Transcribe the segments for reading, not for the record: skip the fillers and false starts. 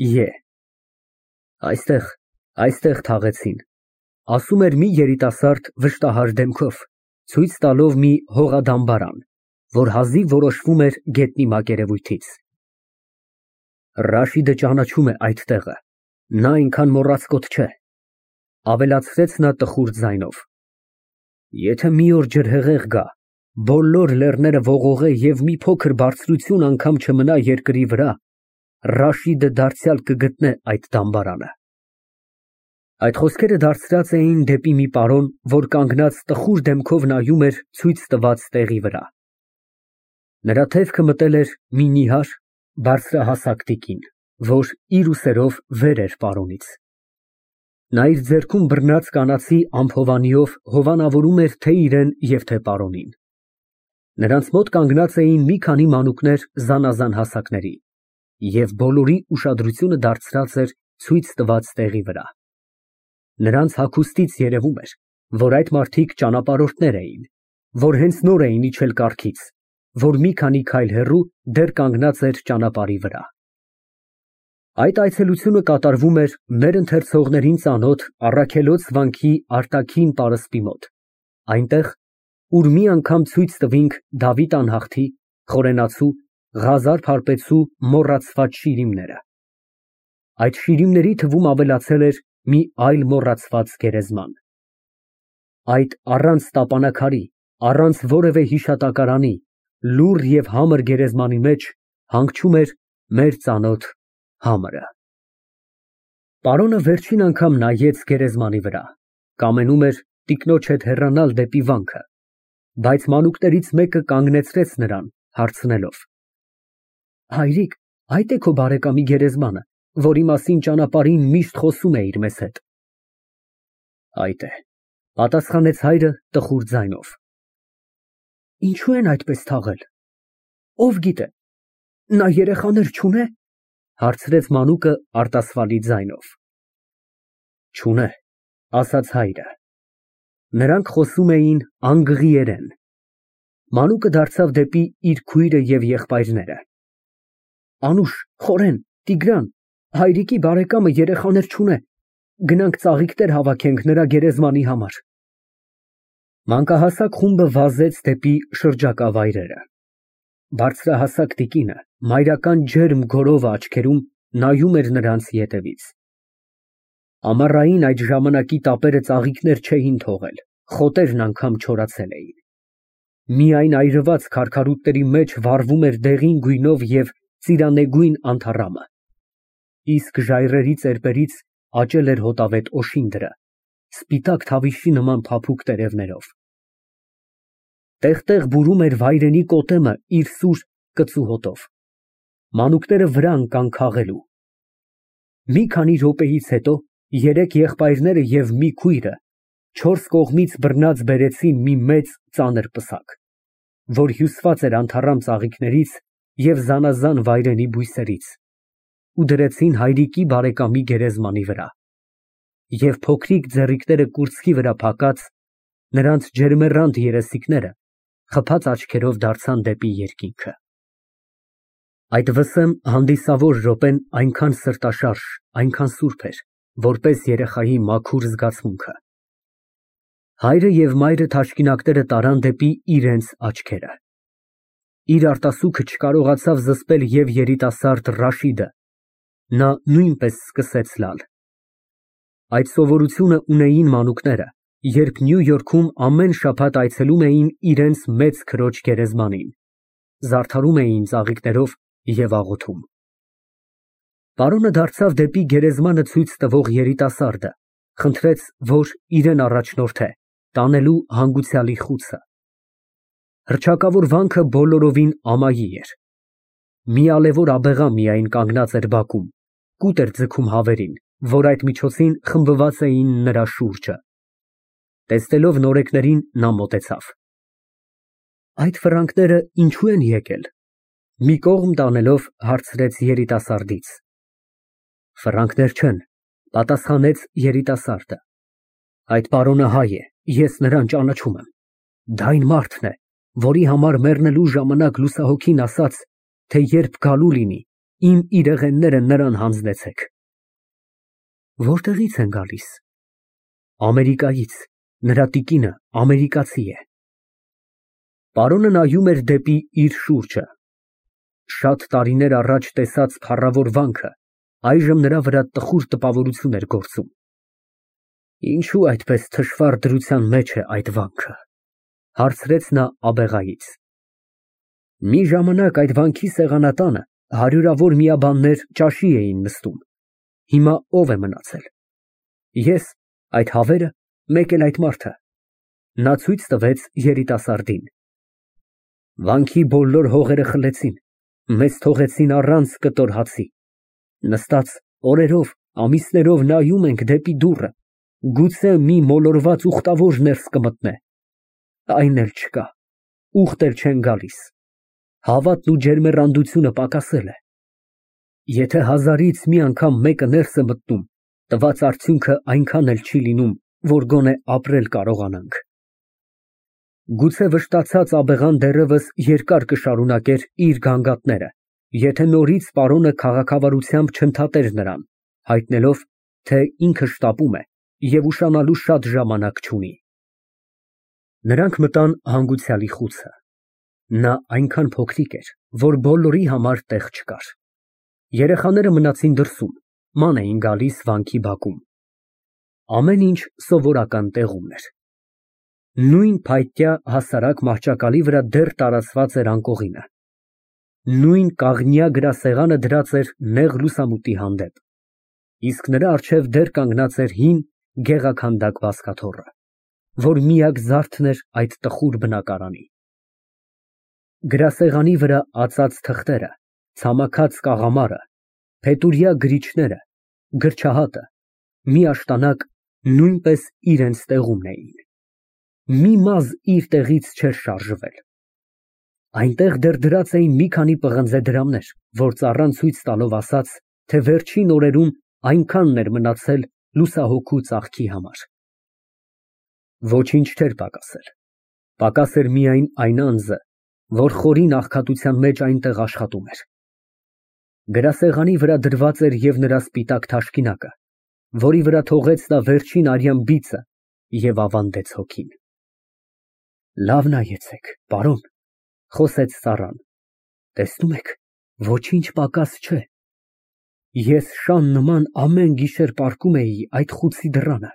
Է։ Այստեղ թաղեցին, ասում էր մի երիտասարդ վշտահար դեմքով, ցույց տալով մի հողադամբարան, որ հազիվ որոշվում էր գետնի մակերևույթից։ Ռաշիդը ճանաչում է այդ տեղը, նա այնքան մոռացկոտ չէ, ավելացրեց նա տխուր ձայնով։ Եթե մի օր ջրհեղեղ գա, բոլոր լեռները ողողե և մի փոքր բարձրություն անգամ չմնա երկրի վրա, Ռաշիդը դարձյալ կգտնե այդ դամբարանը։ Այդ խոսքերը դարձրած էին դեպի մի պարոն, որ կանգնած տխուր դեմքով նայում էր ցույց տված տեղի վրա։ Նրա դեմքը մտել էր մի նիհար, բարձրահասակ տիկին, որ իր ուսերով վեր էր պարոնից։ Նա իր ձեռքում բռնած կանացի ամփովանիով հովանավորում էր թե իրան և թե պարոնին։ Նրանց մոտ կանգնած էին մի քանի մանուկներ զանազան հասակների, և բոլորի ուշադրությունը դարձած էր ցույց տված տեղի վրա։ Նրանց հագուստից երևում էր, որ այդ մարդիկ ճանապարհորդներ էին, որ հենց նոր էին իջել կառքից, որ մի քանի քայլ հեռու դեռ կանգնած էր ճանապարհի վրա։ Այդ այցելությունը կատարվում էր մեր ընթերցողներին ծանոթ Առաքելոց վանքի արտաքին պարսպի մոտ, այնտեղ, ուր մի անգամ ցույց տվինք Դավիթ անհաղթի, Խորենացու, Ղազար Փարպեցու մոռացված շիրիմները։ Այդ շիրիմների թվում ավելացել էր մի այլ մոռացված գերեզման։ Այդ առանց տապանաքարի, առանց որևէ հիշատակարանի, լուռ և համր գերեզմանի մեջ հանգչում էր մեր ծանոթ համրը։ Պարոնը վերջին անգամ նայեց գերեզմանի վրա, կամենում էր տիկնոջ հետ հեռանալ դեպի վանքը, բայց մանուկներից մեկը կանգնեցրեց նրան, հարցնելով. Հայրիկ, այդ է քո բարեկամի գերեզմանը, որի մասին ճանապարհին միշտ խոսում էիր մեզ հետ։ Այդ է, պատասխանեց հայրը տխուր ձայնով։ Ինչու են այդպես թաղել։ Ով գիտե, նա երեխաներ չունե, հարցրեց մանուկը արտասվալի ձայնով։ Չունե, ասաց հայրը։ Նրանք խոսում էին անգղիերեն։ Մանուկը դարձավ դեպի իր քույրը և եղբայրները։ Անուշ, Խորեն, Տիգրան, հայրիկի բարեկամը երեխաներ չունե, գնանք ծաղիկներ հավաքենք նրա գերեզմանի համար։ Մանկահասակ խումբը վազեց դեպի շրջակա վայրերը։ Բարձրահասակ տիկինը մայրական ջերմ գորով աչքերում նայում էր նրանց ետևից։ Ամառային այդ ժամանակի տապերը ծաղիկներ չէին թողել, խոտերն անգամ չորացել էին։ Միայն այրված քարքարուտների մեջ վառվում էր դեղին գույնով և ծիրանեգույն անթառամը, իսկ ժայռերի ծեպերից աճել էր հոտավետ օշինդրը, սպիտակ թավիշի նման փափուկ տերևներով։ Տեղ֊տեղ բուրում էր վայրենի կոտեմը իր սուր կծու հոտով։ Մանուկները վրա ընկան քաղելու։ Մի քանի րոպեից հետո երեք եղբայրները և մի քույրը չորս կողմից բռնած բերեցին մի մեծ ծանր պսակ, որ հյուսված էր անթառամ ծաղիկներից և զանազան վայրենի բույսերից, ու դրեցին հայրիկի բարեկամի գերեզմանի վրա, և փոքրիկ ձեռիկները կուրծքի վրա փակած, նրանց ջերմեռանդ երեսիկները խփած աչքերով դարձան դեպի երկինքը։ Այդ վսեմ հանդիսավոր րոպեն այնքան սրտաշարժ, այնքան սուրբ էր, որպես երեխայի մաքուր զգացմունքը։ Հայրը և մայրը թաշկինակները տարան դեպի իրենց աչքերը։ Իր արտասուքը չկարողացավ զսպել և երիտասարդ Ռաշիդը, նա նույնպես սկսեց լալ։ Այդ սովորությունը ունեին մանուկները, երբ Նյու Յորքում ամեն շաբաթ այցելում էին իրենց մեծ քրոջ գերեզմանին, զարդարում էին ծաղիկներով և աղոթում։ Պարոնը դարձավ դեպի գերեզմանը ցույց տվող երիտասարդը, խնդրեց, որ իրեն առաջնորդե, տանելու հանգուցյալի խուցը։ Հռչակավոր վանքը բոլորովին ամայի էր։ Մի ալևոր աբեղա միայն կանգնած էր բակում, կուտ էր ձգում հավերին, որ այդ միջոցին խմբված էին նրա շուրջը։ Տեսնելով նորեկներին, նա մոտեցավ։ Այդ ֆրանկները ինչո՞ւ են եկել, մի կողմ տանելով հարցրեց երիտասարդից։ Ֆրանկներ չեն, պատասխանեց երիտասարդը։ Այդ պարոնը հայ է, ես նրան ճանաչում եմ։ Դա այն մարդն է, որի համար մեռնելու ժամանակ լուսահոգին ասաց, թե երբ գալու լինի, իմ իրեղենները նրան հանձնեցեք։ Որտեղից են գալիս։ Ամերիկայից, նրա տիկինը ամերիկացի է։ Պարոնը նայում էր դեպի իր շուրջը։ Շատ տարիներ առաջ տեսած փառավոր վանքը այժմ նրա վրա տխուր տպավորություն էր գործում։ Ինչու այդպես թշվառ դրության մեջ է այդ վանքը, հարցրեց նա աբեղայից։ Մի ժամանակ այդ վանքի սեղանատանը հարյուրավոր միաբաններ ճաշի էին նստում, հիմա ով է մնացել։ Ես, այդ հավերը, մեկ էլ այդ մարդը։ Նա ցույց տվեց երիտասարդին։ Վանքի բոլոր հողերը խլեցին, մեզ թողեցին առանց կտոր հացի։ Նստած օրերով, ամիսներով նայում ենք դեպի դուռը, գուցե մի մոլորված ուխտավոր ներս կմտնե։ Այն էլ չկա, ուխտ էլ չեն գալիս։ Հավատն ու ջերմեռանդությունը պակասել է։ Եթե հազարից մի անգամ մեկը ներս է մտնում, տված արդյունքը այնքան էլ չի լինում, որ գոնե ապրել կարողանանք։ Գուցե վշտացած աբեղան դեռևս երկար կշարունակեր իր գանգատները, եթե նորից պարոնը քաղաքավարությամբ չընդհատեր նրան, հայտնելով, թե ինքը շտապում է և ուշանալու շատ ժամանակ չունի։ Նրանք մտան հանգուցյալի խուցը։ Նա այնքան փոքրիկ էր, որ բոլորի համար տեղ չկար։ Երեխաները մնացին դրսում, ման էին գալիս վանքի բակում։ Ամեն ինչ սովորական տեղումն էր։ Նույն փայտյա հասարակ մահճակալի վրա դեռ տարածված էր անկողինը։ Նույն կաղնյա գրասեղանը դրած էր նեղ լուսամուտի հանդեպ, իսկ նրա առջև դեռ կանգնած էր հին գեղաքանդակ բազկաթոռը, որ միակ զարդն էր այդ տխուր բնակարանի։ Գրասեղանի վրա ածած թղթերը, ցամաքած կաղամարը, փետուրյա գրիչները, գրչահատը, միաշտանակ նույնպես իրենց տեղումն էին։ Մի մազ իր տեղից չէր շարժվել։ Այնտեղ դեռ դրած էին մի քանի պղնձե դրամներ, որ ծառան ցույց տալով ասաց, թե վերջին օրերում այնքանն էր մնացել լուսահոգու ծաղկի համար։ Ոչինչ չէր պակասել։ Պակաս էր միայն այն անձը, որ խորին աղքատության մեջ այնտեղ աշխատում էր։ Գրասեղանի վրա դրված էր և նրա սպիտակ թաշկինակը, որի վրա թողեց նա վերջին արյան բիծը և ավանդեց հոգին։ Լավ նայեցեք, պարոն, խոսեց ծառան, տեսնում եք, ոչինչ պակաս չէ։ Ես շան նման ամեն գիշեր պառկում էի այդ խուցի դռանը։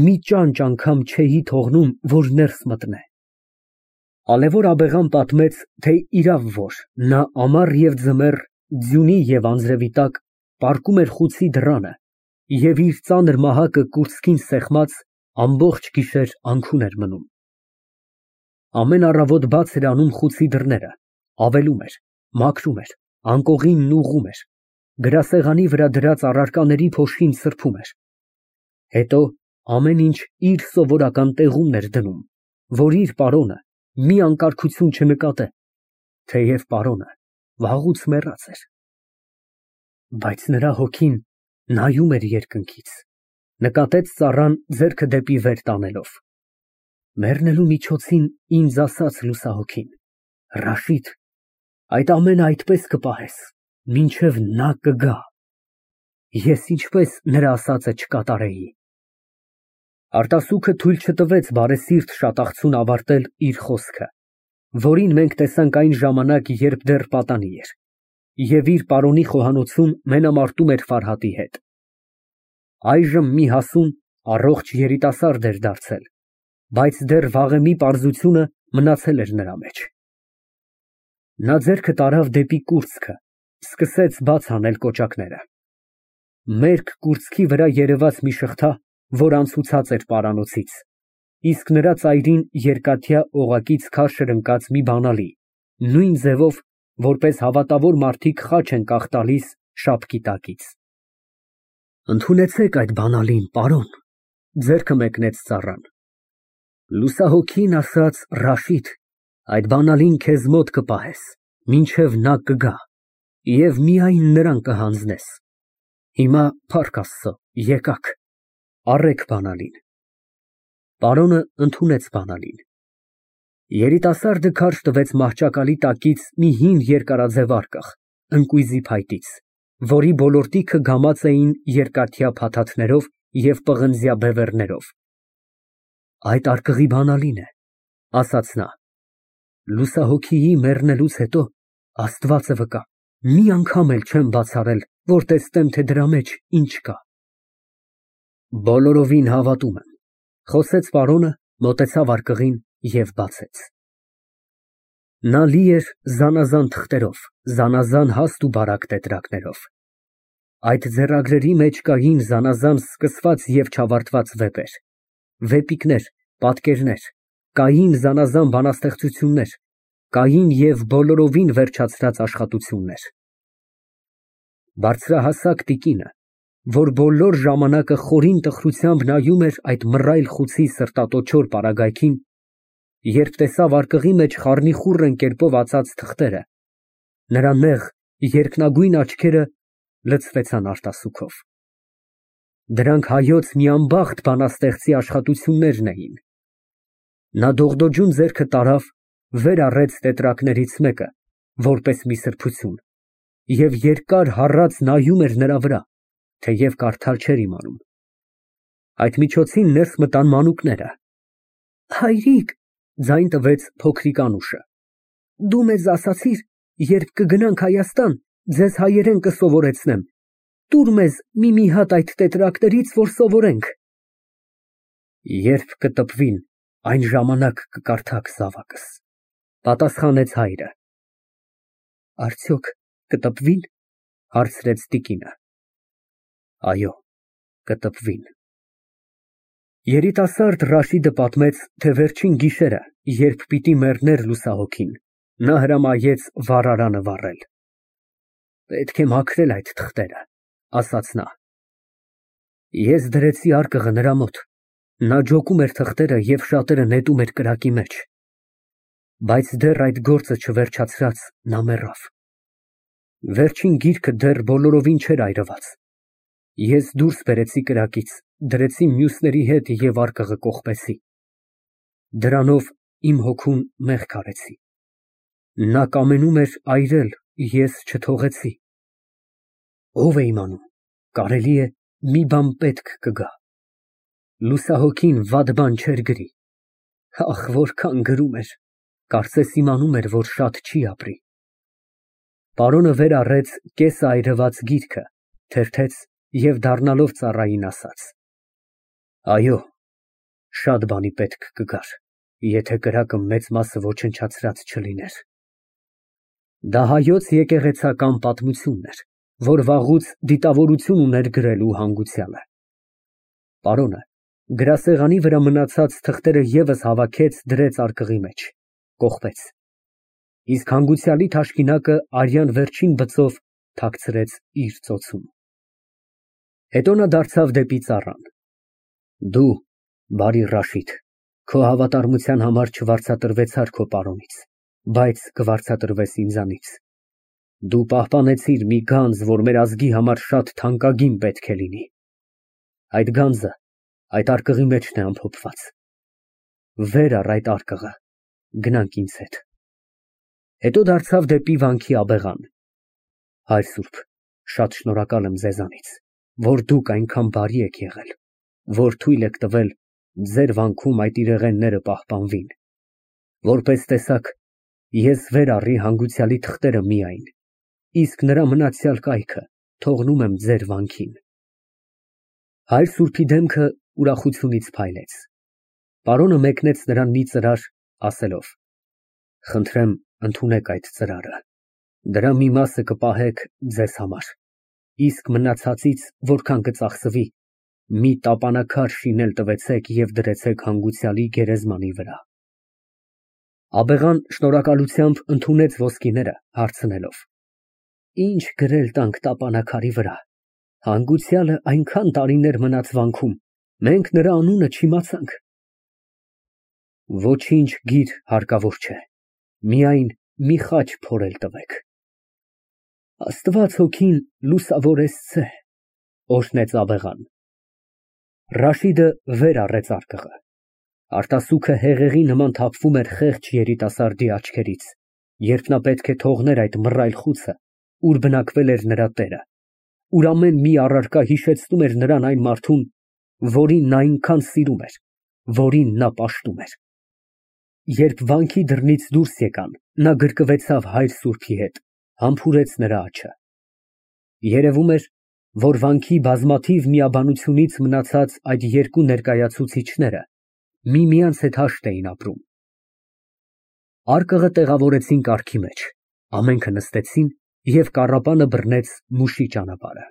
Մի ճանճ անգամ չէի թողնում, որ ներս մտնե։ Ալեվոր աբեղան պատմեց, թե իրավ որ նա ամառ և ձմեռ, ձյունի և անձրևի տակ պառկում էր խուցի դռանը և իր ծանր մահակը կուրծքին սեղմած ամբողջ գիշեր անքուն էր մնում։ Ամեն առավոտ բաց էր անում խուցի դռները, ավելում էր, մաքրում էր, անկողինն ուղղում էր, գրասեղանի վրա դրած առարկաների փոշին սրբում էր։ Հետո ամեն ինչ իր սովորական տեղումն էր դնում, որ իր պարոնը մի անկարգություն չնկատե, թեև պարոնը վաղուց մեռած էր։ Բայց նրա հոգին նայում էր երկնքից, նկատեց ծառան ձեռքը դեպի վեր տանելով։ Մեռնելու միջոցին ինձ ասաց լուսահոգին. Ռաշիդ, այդ ամենը այդպես կպահես, մինչև նա կգա։ Ես ինչպես նրա ասածը չկատարեի։ Արտասուքը թույլ չտվեց բարեսիրտ շատախցուն ավարտել իր խոսքը, որին մենք տեսանք այն ժամանակ, երբ դեռ պատանի էր, և իր պարոնի խոհանոցում մենամարտում էր Ֆարհատի հետ։ Այժմ մի հասուն, առողջ երիտասարդ էր դարձել, բայց դեռ վաղեմի պարզությունը մնացել էր նրա մեջ։ Նա ձեռքը տարավ դեպի կուրծքը, սկսեց բաց անել կոճակները։ Մերկ կուրծքի վրա երևաց մի շղթա, որ անցուցած էր պարանոցից, իսկ նրա ծայրին երկաթյա օղակից քարշր ընկած մի բանալի, նույն ձևով, որպես հավատավոր մարդիկ խաչ են կախ տալիս շապկի տակից։ Ընդունեցեք այդ բանալին, պարոն, ձեռքը մեկնեց ծառան։ Լուսահոգին ասաց, Ռաշիդ, այդ բանալին քեզ մոտ կպահես, մինչև նա կգա, և միայն նրան կհանձնես։ Հիմա, փառք Աստծո, եկաք, առեք բանալին։ Պարոնը ընդունեց բանալին։ Երիտասարդը քարշ տվեց մահճակալի տակից մի հին երկարաձև արկղ, ընկույզի փայտից, որի բոլոր տիքը գամած էին երկաթյա փաթաթներով և պղնձյա բևեռներով։ Այդ արկղի բանալին է, ասաց նա, լուսահոգիի մեռնելուց հետո Աստվածը վկա, մի անգամ էլ չեմ բաց արել, որ տեսնեմ, թե դրա մեջ ինչ կա։ Բոլորովին հավատում եմ, խոսեց պարոնը, մոտեցավ արկղին և բացեց։ Նա լի էր զանազան թղթերով, զանազան հաստ ու բարակ տետրակներով։ Այդ ձեռագրերի մեջ կային զանազան սկսված և չավարտված վեպեր, վեպիկներ, պատկերներ, կային զանազան բանաստեղծություններ, կային և բոլորովին վերջացրած աշխատություններ։ Բարձրահասակ տիկինը, որ բոլոր ժամանակը խորին տխրությամբ նայում էր այդ մռայլ խուցի սրտատոչոր պարագայքին, երբ տեսավ արկղի մեջ խառնիխուռն կերպով ածած թղթերը, նրա նեղ, երկնագույն աչքերը լցվեցան արտասուքով։ Դրանք հայոց մի անբախտ բանաստեղծի աշխատություններն էին։ Նա դողդոջուն ձեռքը տարավ, վեր առեց տետրակներից մեկը, որպես մի սրբություն, և երկար հառած նայում էր նրա վրա, թեև կարդալ չէր իմանում։ Այդ միջոցին ներս մտան մանուկները։ Հայրիկ, ձայն տվեց փոքրիկ Անուշը, դու մեզ ասացիր, երբ կգնանք Հայաստան, ձեզ հայերեն կսովորեցնեմ, տուր մեզ մի հատ այդ տետրակներից, որ սովորենք։ Երբ կտպվին, այն ժամանակ կկարդաք, զավակս, պատասխանեց հայրը։ Արդյոք կտպվի՞ն, հարցրեց տիկինը։ Այո, կտպվին։ Երիտասարդ Ռաշիդը պատմեց, թե վերջին գիշերը, երբ պիտի մեռներ լուսահոգին, նա հրամայեց վառարանը վառել։ Պետք է մաքրել այդ թղթերը, ասաց նա։ Ես դրեցի արկղը նրա մոտ, նա ջոկում էր թղթերը և շատերը նետում էր կրակի մեջ, բայց դեռ այդ գործը չվերջացրած նա մեռավ։ Վերջին գիրքը դեռ բոլորովին չէր այրված։ Ես դուրս բերեցի կրակից, դրեցի մյուսների հետ և արկղը կողպեցի։ Դրանով իմ հոգուն մեղք արեցի։ Նա կամենում էր այրել, ես չթողեցի։ Ով է իմանում, կարելի է մի բան պետք կգա։ Լուսահոգին վատ բան չէր գրի։ Ախ, որքան գրում էր, կարծես իմանում էր, որ շատ չի ապրի։ Պարոնը վեր առեց կեսայրված գիրքը, թերթեց և դառնալով ծառային ասաց. Այո, շատ բանի պետք կգար, եթե կրակը մեծ մասը ոչնչացրած չլիներ։ Դա հայոց եկեղեցական պատմությունն էր, որ վաղուց դիտավորություն ուներ գրելու հանգուցյալը։ Պարոնը գրասեղանի վրա մնացած թղթերը ևս հավաքեց, դրեց արկղի մեջ, կողպեց, իսկ հանգուցյալի թաշկինակը արյան վերջին բծով թաքցրեց իր ծոցում։ Հետո նա դարձավ դեպի ծառան։ Դու, բարի Ռաշիդ, քո հավատարմության համար չվարձատրվեցար քո պարոնից, բայց կվարձատրվես ինձանից։ Դու պահպանեցիր մի գանձ, որ մեր ազգի համար շատ թանկագին պետք է լինի։ Այդ գանձը այդ արկղի մեջն է ամփոփված։ Վեր առ այդ արկղը, գնանք ինձ հետ։ Հետո դարձավ դեպի վանքի աբեղան։ Հայր սուրբ, շատ շնորհակալ եմ ձեզանից, որ դուք այնքան բարի եք եղել, որ թույլ եք տվել ձեր վանքում այդ իրեղենները պահպանվին։ Որպես տեսակ, ես վեր առի հանգուցյալի թղթերը միայն, իսկ նրա մնացյալ կայքը թողնում եմ ձեր վանքին։ Հայր սուրբի դեմքը ուրախությունից փայլեց։ Պարոնը մեկնեց նրան մի ծրար, ասելով. Խնդրեմ, ընդունեք այդ ծրարը։ Դրա մի մասը կպահեք ձեզ համար, իսկ մնացածից, որքան կծախսվի, մի տապանաքար շինել տվեցեք և դրեցեք հանգուցյալի գերեզմանի վրա։ Աբեղան շնորհակալությամբ ընդունեց ոսկիները, հարցնելով. Ինչ գրել տանք տապանաքարի վրա։ Հանգուցյալը այնքան տարիներ մնաց վանքում, մենք նրա անունը չիմացանք։ Ոչինչ գիր հարկավոր չէ, միայն մի խաչ փորել տվեք։ Աստված հոգին լուսավորեսցե, օրհնեց աբեղան։ Ռաշիդը վեր առեց արկղը։ Արտասուքը հեղեղի նման թափվում էր խեղճ երիտասարդի աչքերից, երբ նա պետք է թողներ այդ մռայլ խուցը ուր բնակվել էր նրա տերը, ուր ամեն մի առարկա հիշեցնում էր նրան այն մարդուն, որին նա այնքան սիրում էր, որին նա պաշտում էր։ Երբ վանքի դռնից դուրս եկան, նա գրկվեցավ հայր սուրբի հետ, համբուրեց նրա աջը։ Երևում էր, որ վանքի բազմաթիվ միաբանությունից մնացած այդ երկու ներկայացուցիչները միմյանց հետ հաշտ էին ապրում։ Արկղը տեղավորեցին կառքի մեջ, ամենքը նստեցին և կառապանը բռնեց մուշի ճանապարհը։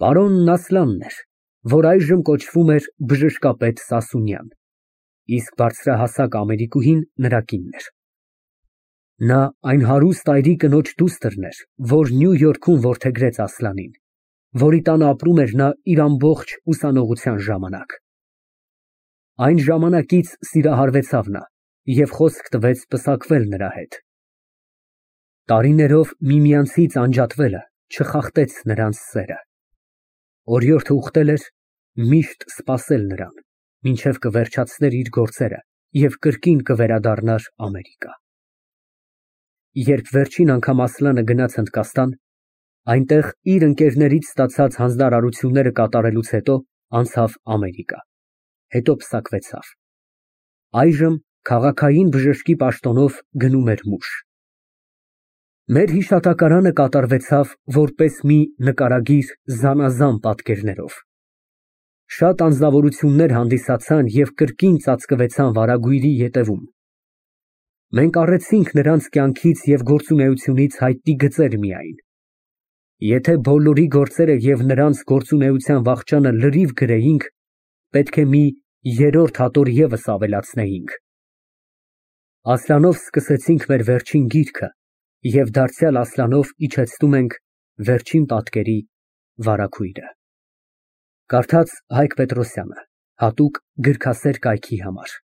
Պարոնն Ասլանն էր, որ այժմ կոչվում էր բժշկապետ Սասունյան, իսկ բարձրահասակ Ամերիկուհին նրա կինն էր։ Նա այն հարուստ այրի կնոջ դուստրն էր, որ Նյու Յորքում որդեգրեց Ասլանին, որի տանը ապրում էր նա իր ամբողջ ուսանողության ժամանակ։ Այն ժամանակից սիրահարվեցավ նա և խոսք տվեց պսակվել նրա հետ։ Տարիներով միմյանցից անջատվելը չխախտեց նրանց սերը։ Օրիորդը ուխտել էր միշտ սպասել նրան, մինչև կվերջացներ իր գործերը և կրկին կվերադառնար Ամերիկա։ Երբ վերջին անգամ Ասլանը գնաց Հնդկաստան, այնտեղ իր ընկերներից ստացած հանձնարարությունները կատարելուց հետո անցավ Ամերիկա, հետո պսակվեցավ։ Այժմ քաղաքային բժշկի պաշտոնով գնում էր մուշ։ Մեր հիշատակարանը կատարվեցավ որպես մի նկարագիր զանազան պատկերներով։ Շատ անձնավորություններ հանդիսացան և կրկին ծածկվեցան վարագույրի ետևում։ Մենք առեցինք նրանց կյանքից և գործունեությունից հայտնի գծեր միայն։ Եթե բոլորի գործերը և նրանց գործունեության վախճանը լրիվ գրեինք, պետք է մի երրորդ հատոր ևս ավելացնեինք։ Ասլանով սկսեցինք մեր վերջին գիրքը և դարձյալ Ասլանով իջեցնում ենք վերջին պատկերի վարագույրը։ Կարդաց Հայկ Պետրոսյանը, հատուկ գրքասեր կայքի համար։